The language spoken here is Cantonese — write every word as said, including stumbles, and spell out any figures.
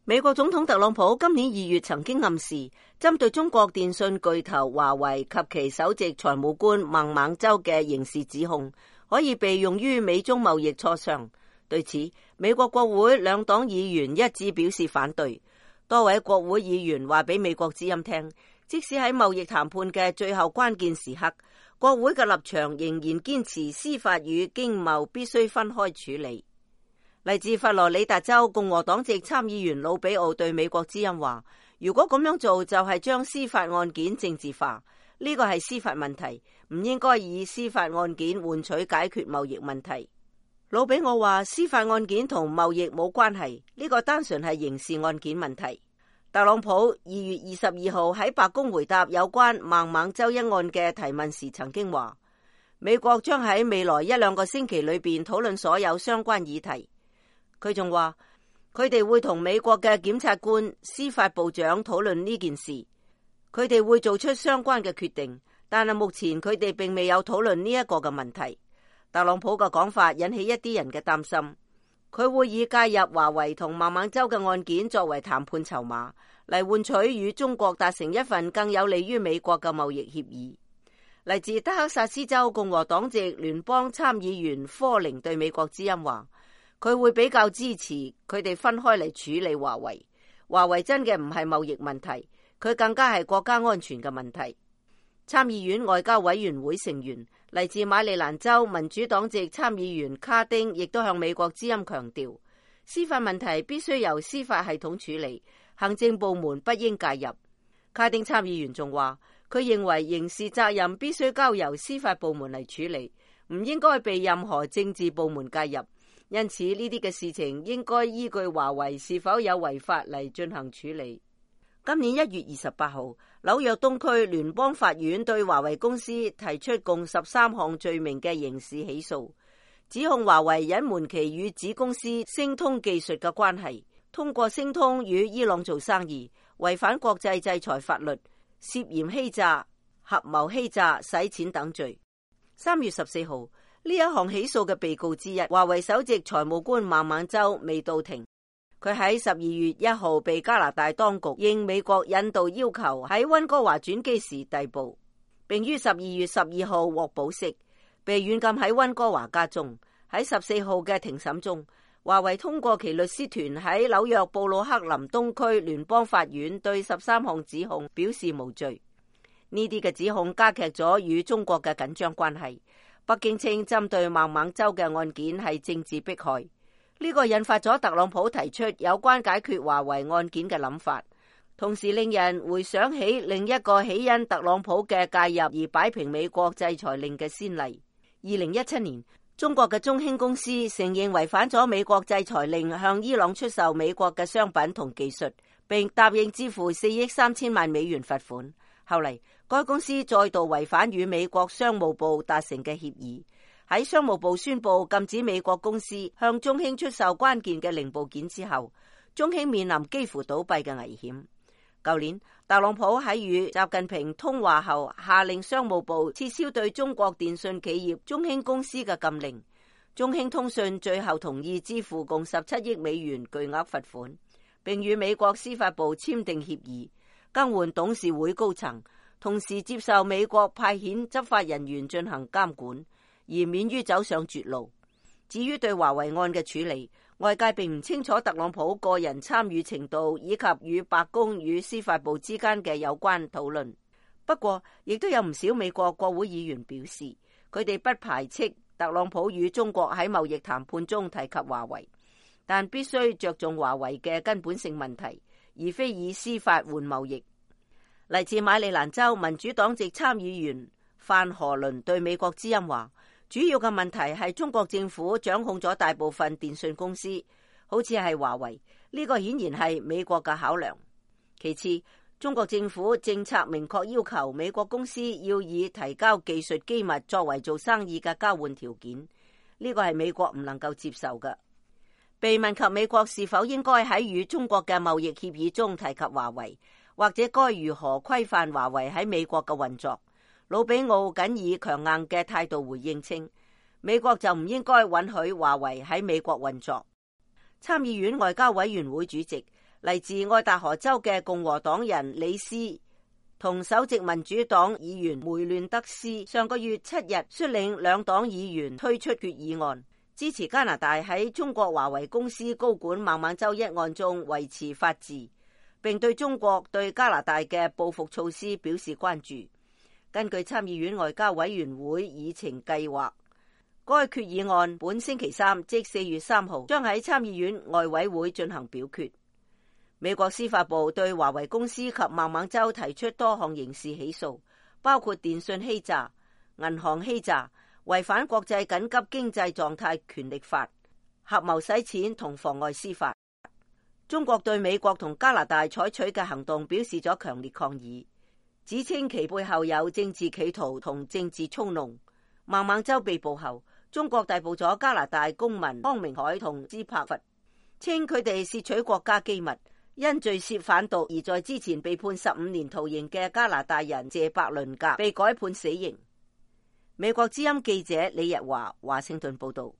美國總統特朗普今年二月曾經暗示，針對中國電信巨頭華為及其首席財務官孟晚舟嘅刑事指控，可以被用於美中貿易磋商。對此，美國國會兩黨議員一致表示反對。多位國會議員話俾美國之音聽，即使喺貿易談判嘅最後關鍵時刻，國會嘅立場仍然堅持司法與經貿必須分開處理。嚟自佛羅里達州共和黨籍參議員魯比奧對美國之音話，如果咁樣做就係將司法案件政治化，呢個係司法問題，唔應該以司法案件換取解決貿易問題。魯比奧話，司法案件同貿易冇關係，呢個單純係刑事案件問題。特朗普二月二十二號喺白宮回答有關孟晚舟一案嘅提問時曾經話，美國將喺未來一兩個星期裏邊討論所有相關議題。佢仲話，佢哋會同美國嘅檢察官、司法部長討論呢件事，佢哋會做出相關嘅決定，但係目前佢哋並未有討論呢一個嘅問題。特朗普嘅講法引起一啲人嘅擔心，佢會以介入華為同孟晚舟嘅案件作為談判籌碼，嚟換取與中國達成一份更有利於美國嘅貿易協議。嚟自德克薩斯州共和黨籍聯邦參議員科寧對美國之音話，佢會比較支持佢哋分開嚟處理華為。華為真嘅唔係貿易問題，佢更加係國家安全嘅問題。參議院外交委員會成員嚟自馬里蘭州民主黨籍參議員卡丁亦都向美國之音強調，司法問題必須由司法系統處理，行政部門不應介入。卡丁參議員仲話，佢認為刑事責任必須交由司法部門嚟處理，唔應該被任何政治部門介入。因此呢啲嘅事情應該依據華為是否有違法嚟進行處理。今年一月二十八號，紐約東區聯邦法院對華為公司提出共十三項罪名嘅刑事起訴，指控華為隱瞞其與子公司星通技術嘅關係，通過星通與伊朗做生意，違反國際制裁法律，涉嫌欺詐、合謀欺詐、洗錢等罪。三月十四號，呢一項起訴嘅被告之一，華為首席財務官孟晚舟未到庭。佢喺十二月一號被加拿大當局應美國引渡要求喺溫哥華轉機時逮捕，並於十二月十二號獲保釋，被軟禁喺溫哥華家中。喺十四號嘅庭審中，華為通過其律師團喺紐約布魯克林東區聯邦法院對十三項指控表示無罪。呢啲嘅指控加劇咗與中國嘅緊張關係。北京稱針對孟晚舟嘅案件係政治迫害。呢個引發咗特朗普提出有關解決華為案件嘅諗法，同時令人回想起另一個起因特朗普嘅介入而擺平美國制裁令嘅先例。二零一七年，中國嘅中興公司承認違反咗美國制裁令，向伊朗出售美國嘅商品同技術，並答應支付四億三千萬美元罰款。後嚟，該公司再度違反與美國商務部達成嘅協議。喺商務部宣布禁止美國公司向中興出售關鍵嘅零部件之後，中興面臨幾乎倒閉嘅危險。舊年，特朗普喺與習近平通話後，下令商務部撤銷對中國電信企業中興公司嘅禁令。中興通訊最後同意支付共十七億美元巨額罰款，並與美國司法部簽訂協議，更換董事會高層，同時接受美國派遣執法人員進行監管，而免於走上絕路。至於對華為案嘅處理，外界並唔清楚特朗普個人參與程度以及與白宮與司法部之間嘅有關討論。不過，亦都有唔少美國國會議員表示，佢哋不排斥特朗普與中國喺貿易談判中提及華為，但必須着重華為嘅根本性問題，而非以司法換貿易。嚟自馬里蘭州民主黨籍參議員范荷倫對美國之音話，主要嘅問題係中國政府掌控咗大部分電信公司，好似係華為，呢個顯然係美國嘅考量。其次，中國政府政策明確要求美國公司要以提交技術機密作為做生意嘅交換條件，呢個係美國唔能夠接受嘅。被問及美國是否應該喺與中國嘅貿易協議中提及華為，或者該如何規範華為喺美國嘅運作，魯比奧僅以強硬嘅態度回應稱，美國就唔應該允許華為喺美國運作。參議院外交委員會主席嚟自愛達荷州嘅共和黨人李斯同首席民主黨議員梅亂德斯上個月七日率領兩黨議員推出決議案，支持加拿大喺中國華為公司高管孟晚舟一案中維持法治，並對中國對加拿大嘅報復措施表示關注。根據參議院外交委員會議程計劃，該決議案本星期三即四月三號將喺參議院外委會進行表決。美國司法部對華為公司及孟晚舟提出多項刑事起訴，包括電信欺詐、銀行欺詐、違反國際緊急經濟狀態權力法、合謀洗錢同妨礙司法。中國對美國同加拿大採取嘅行動表示咗強烈抗議，指稱其背後有政治企圖同政治操弄。孟晚舟被捕後，中國逮捕咗加拿大公民康明凱同斯柏佛，稱佢哋竊取國家機密，因罪涉販毒而在之前被判十五年徒刑嘅加拿大人謝伯倫格被改判死刑。美國之音記者李日華華盛頓報道。